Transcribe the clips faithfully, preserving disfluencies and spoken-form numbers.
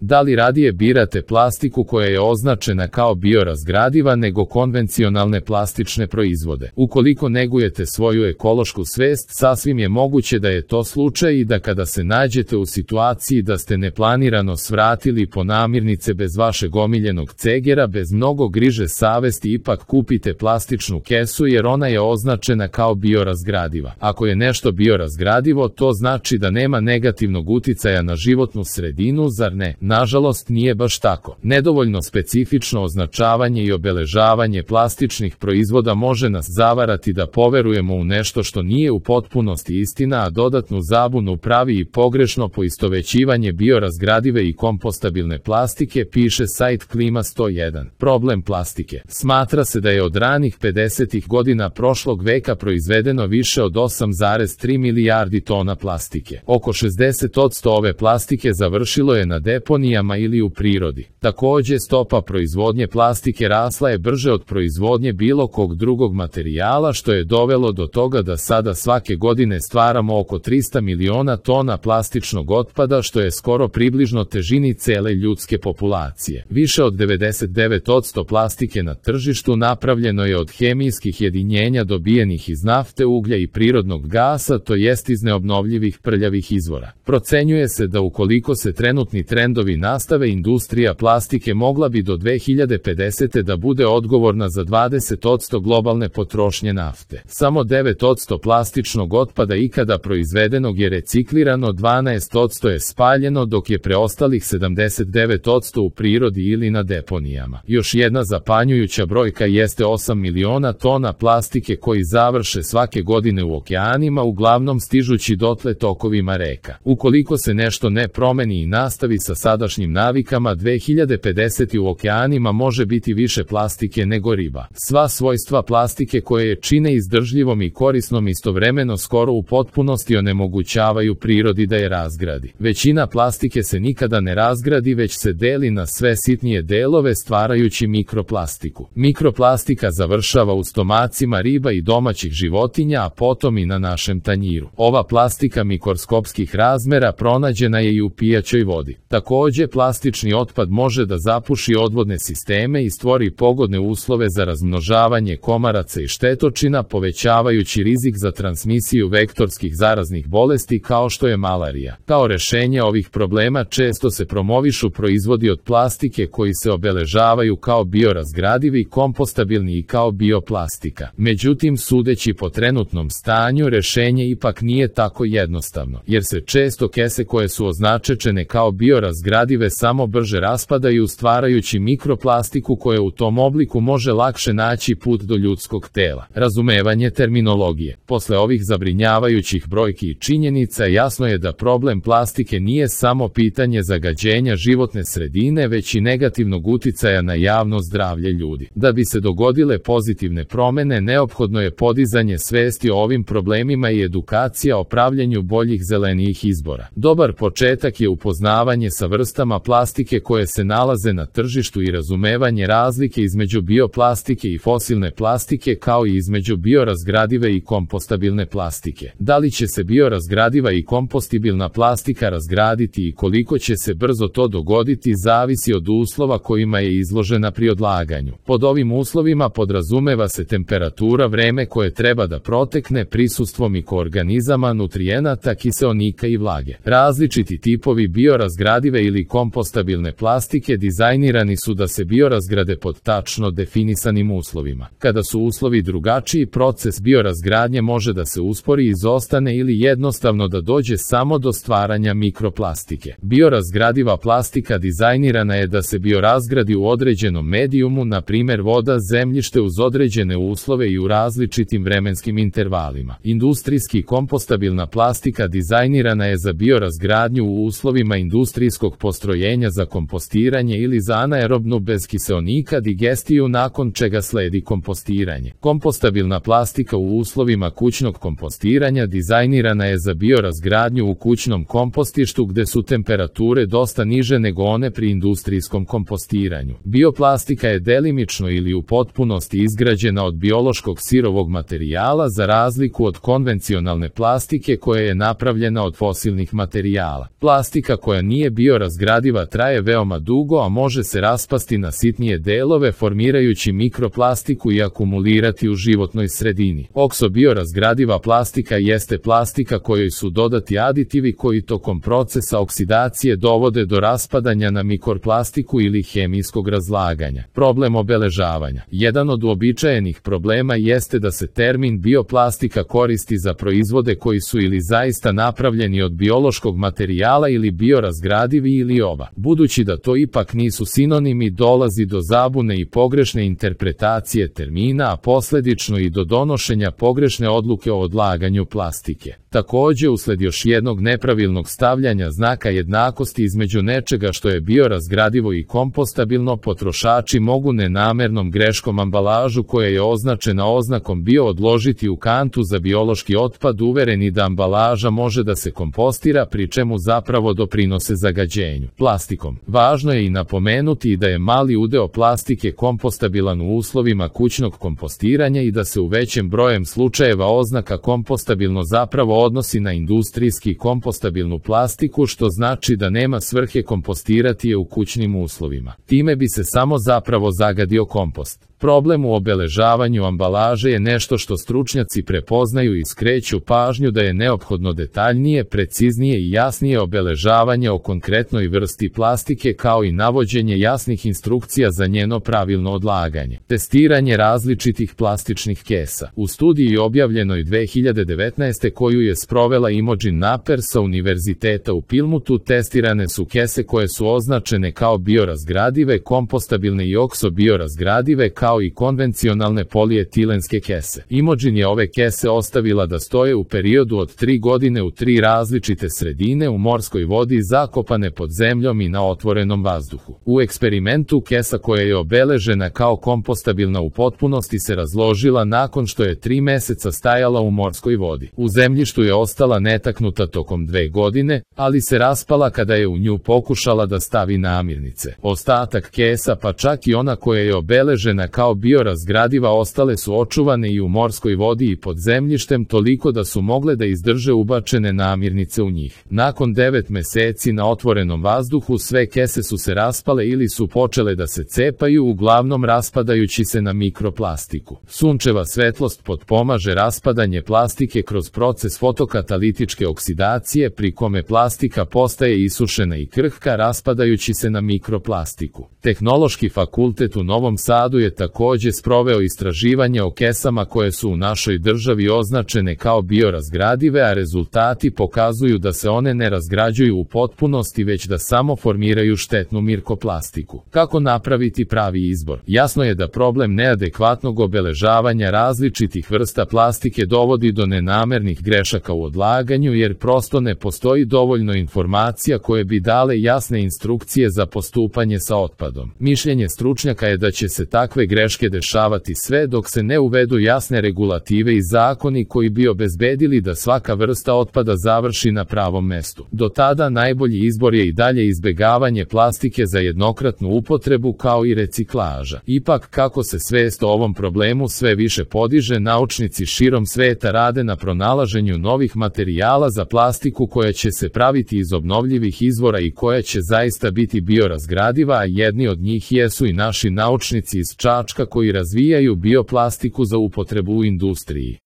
Da li radije birate plastiku koja je označena kao biorazgradiva nego konvencionalne plastične proizvode? Ukoliko negujete svoju ekološku svest, sasvim je moguće da je to slučaj i da kada se nađete u situaciji da ste neplanirano svratili po namirnice bez vašeg omiljenog cegera, bez mnogo griže savesti ipak kupite plastičnu kesu jer ona je označena kao biorazgradiva. Ako je nešto biorazgradivo, to znači da nema negativnog uticaja na životnu sredinu, zar ne? Nažalost, nije baš tako. Nedovoljno specifično označavanje i obeležavanje plastičnih proizvoda može nas zavarati da poverujemo u nešto što nije u potpunosti istina, a dodatnu zabunu pravi i pogrešno poistovećivanje biorazgradive i kompostabilne plastike, piše sajt Klima sto jedan. Problem plastike. Smatra se da je od ranih pedesetih godina prošlog veka proizvedeno više od osam zarez tri milijardi tona plastike. Oko šezdeset posto ove plastike završilo je na deponijama ili u prirodi. Takođe, stopa proizvodnje plastike rasla je brže od proizvodnje bilo kog drugog materijala, što je dovelo do toga da sada svake godine stvaramo oko trista miliona tona plastičnog otpada, što je skoro približno težini cele ljudske populacije. Više od devedeset devet posto plastike na tržištu napravljeno je od hemijskih jedinjenja dobijenih iz nafte, uglja i prirodnog gasa, to jest iz neobnovljivih prljavih izvora. Procenjuje se da ukoliko se trenutni trendovi nastave, industrija plastike mogla bi do dve hiljade pedesete. da bude odgovorna za dvadeset posto globalne potrošnje nafte. Samo devet posto plastičnog otpada ikada proizvedenog je reciklirano, dvanaest posto je spaljeno, dok je preostalih sedamdeset devet posto u prirodi ili na deponijama. Još jedna zapanjujuća brojka jeste osam miliona tona plastike koji završe svake godine u okeanima, uglavnom stižući dotle tokovima reka. Ukoliko se nešto ne promeni i nastavi sa sadašnjim navikama, dve hiljade pedesete. u okeanima može biti više plastike nego riba. Sva svojstva plastike koje je čine izdržljivom i korisnom istovremeno skoro u potpunosti onemogućavaju prirodi da je razgradi. Većina plastike se nikada ne razgradi, već se deli na sve sitnije delove, stvarajući mikroplastiku. Mikroplastika završava u stomacima riba i domaćih životinja, a potom i na našem tanjiru. Ova plastika mikroskopskih razmera pronađena je i u pijaćoj vodi. Takođe, plastični otpad može da zapuši odvodne sisteme i stvori pogodne uslove za razmnožavanje komaraca i štetočina, povećavajući rizik za transmisiju vektorskih zaraznih bolesti kao što je malarija. Kao rešenje ovih problema često se promovišu proizvodi od plastike koji se obeležavaju kao biorazgradivi, kompostabilni i kao bioplastika. Međutim, sudeći po trenutnom stanju, rešenje ipak nije tako jednostavno, jer se često kese koje su označene kao biorazgradive samo brže raspadaju, stvarajući mikroplastiku koja u tom obliku može lakše naći put do ljudskog tela. Razumevanje terminologije. Posle ovih zabrinjavajućih brojki i činjenica, jasno je da problem plastike nije samo pitanje zagađenja životne sredine, već i negativnog uticaja na javno zdravlje ljudi. Da bi se dogodile pozitivne promene, neophodno je podizanje svesti o ovim problemima i edukacija o pravljenju boljih zelenijih izbora. Dobar početak je upoznavanje sa vrstama plastike koje se nalaze na tržištu i razumevanje razlike između bioplastike i fosilne plastike, kao i između biorazgradive i kompostabilne plastike. Da li će se biorazgradiva i kompostibilna plastika razgraditi i koliko će se brzo to dogoditi zavisi od uslova kojima je izložena pri odlaganju. Pod ovim uslovima podrazumeva se temperatura, vreme koje treba da protekne, prisustvo mikroorganizama, nutrijenata, kiseonika i vlage. Različiti tipovi biorazgradive ili kompostabilne plastike dizajnirani su da se biorazgrade pod tačno definisanim uslovima. Kada su uslovi drugačiji, proces biorazgradnje može da se uspori, izostane ili jednostavno da dođe samo do stvaranja mikroplastike. Biorazgradiva plastika dizajnirana je da se biorazgradi u određenom medijumu, na primjer voda, zemljište, uz određene uslove i u različitim vremenskim intervalima. Industrijski kompostabilna plastika dizajnirana je za biorazgradnju u uslovima industrijskog postrojenja za kompostiranje ili za anaerobnu bez kiseonika digestiju, nakon čega sledi kompostiranje. Kompostabilna plastika u uslovima kućnog kompostiranja dizajnirana je za biorazgradnju u kućnom kompostištu gde su temperature dosta niže nego one pri industrijskom kompostiranju. Bioplastika je delimično ili u potpunosti izgrađena od biološkog sirovog materijala, za razliku od konvencionalne plastike koja je napravljena od fosilnih materijala. Plastika koja nije biorazgradiva biorazgradiva traje veoma dugo, a može se raspasti na sitnije delove formirajući mikroplastiku i akumulirati u životnoj sredini. Oksobiorazgradiva plastika jeste plastika kojoj su dodati aditivi koji tokom procesa oksidacije dovode do raspadanja na mikroplastiku ili hemijskog razlaganja. Problem obeležavanja. Jedan od uobičajenih problema jeste da se termin bioplastika koristi za proizvode koji su ili zaista napravljeni od biološkog materijala ili biorazgradivi ili oba. Budući da to ipak nisu sinonimi, dolazi do zabune i pogrešne interpretacije termina, a posljedično i do donošenja pogrešne odluke o odlaganju plastike. Također, usled još jednog nepravilnog stavljanja znaka jednakosti između nečega što je biorazgradivo i kompostabilno, potrošači mogu nenamernom greškom ambalažu koja je označena oznakom bio odložiti u kantu za biološki otpad, uvereni da ambalaža može da se kompostira, pri čemu zapravo doprinose zagađenju plastikom. Važno je i napomenuti da je mali udeo plastike kompostabilan u uslovima kućnog kompostiranja i da se u većem brojem slučajeva oznaka kompostabilno zapravo odnosi na industrijski kompostabilnu plastiku, što znači da nema svrhe kompostirati je u kućnim uslovima. Time bi se samo zapravo zagadio kompost. Problem u obeležavanju ambalaže je nešto što stručnjaci prepoznaju i skreću pažnju da je neophodno detaljnije, preciznije i jasnije obeležavanje o konkretnoj vrsti plastike, kao i navođenje jasnih instrukcija za njeno pravilno odlaganje. Testiranje različitih plastičnih kesa. U studiji objavljenoj dve hiljade devetnaeste koju je sprovela Imogen Naper sa Univerziteta u Pilmutu, testirane su kese koje su označene kao biorazgradive, kompostabilne i oksobiorazgradive, kao kao i konvencionalne polietilenske kese. Imogen je ove kese ostavila da stoje u periodu od tri godine u tri različite sredine u morskoj vodi zakopane pod zemljom i na otvorenom vazduhu. U eksperimentu kesa koja je obeležena kao kompostabilna u potpunosti se razložila nakon što je tri meseca stajala u morskoj vodi. U zemljištu je ostala netaknuta tokom dve godine, ali se raspala kada je u nju pokušala da stavi namirnice. Ostatak kesa, pa čak i ona koja je obeležena kao biorazgradiva, ostale su očuvane i u morskoj vodi i pod zemljištem toliko da su mogle da izdrže ubačene namirnice u njih. Nakon devet meseci na otvorenom vazduhu sve kese su se raspale ili su počele da se cepaju, uglavnom raspadajući se na mikroplastiku. Sunčeva svetlost potpomaže raspadanje plastike kroz proces fotokatalitičke oksidacije, pri kome plastika postaje isušena i krhka, raspadajući se na mikroplastiku. Tehnološki fakultet u Novom Sadu je također sproveo istraživanje o kesama koje su u našoj državi označene kao biorazgradive, a rezultati pokazuju da se one ne razgrađuju u potpunosti, već da samo formiraju štetnu mikroplastiku. Kako napraviti pravi izbor? Jasno je da problem neadekvatnog obeležavanja različitih vrsta plastike dovodi do nenamernih grešaka u odlaganju, jer prosto ne postoji dovoljno informacija koje bi dale jasne instrukcije za postupanje sa otpadom. Mišljenje stručnjaka je da će se takve greške dešavati sve dok se ne uvedu jasne regulative i zakoni koji bi obezbedili da svaka vrsta otpada završi na pravom mestu. Do tada najbolji izbor je i dalje izbegavanje plastike za jednokratnu upotrebu, kao i reciklaža. Ipak, kako se svest o ovom problemu sve više podiže, naučnici širom sveta rade na pronalaženju novih materijala za plastiku koja će se praviti iz obnovljivih izvora i koja će zaista biti biorazgradiva, a jedni od njih jesu i naši naučnici iz Čačka koji razvijaju bioplastiku za upotrebu u industriji.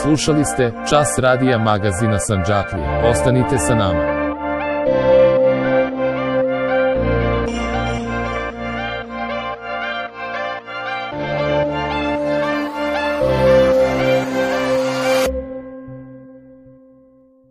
Slušali ste Čas radija magazina Sandžaklija. Ostanite sa nama.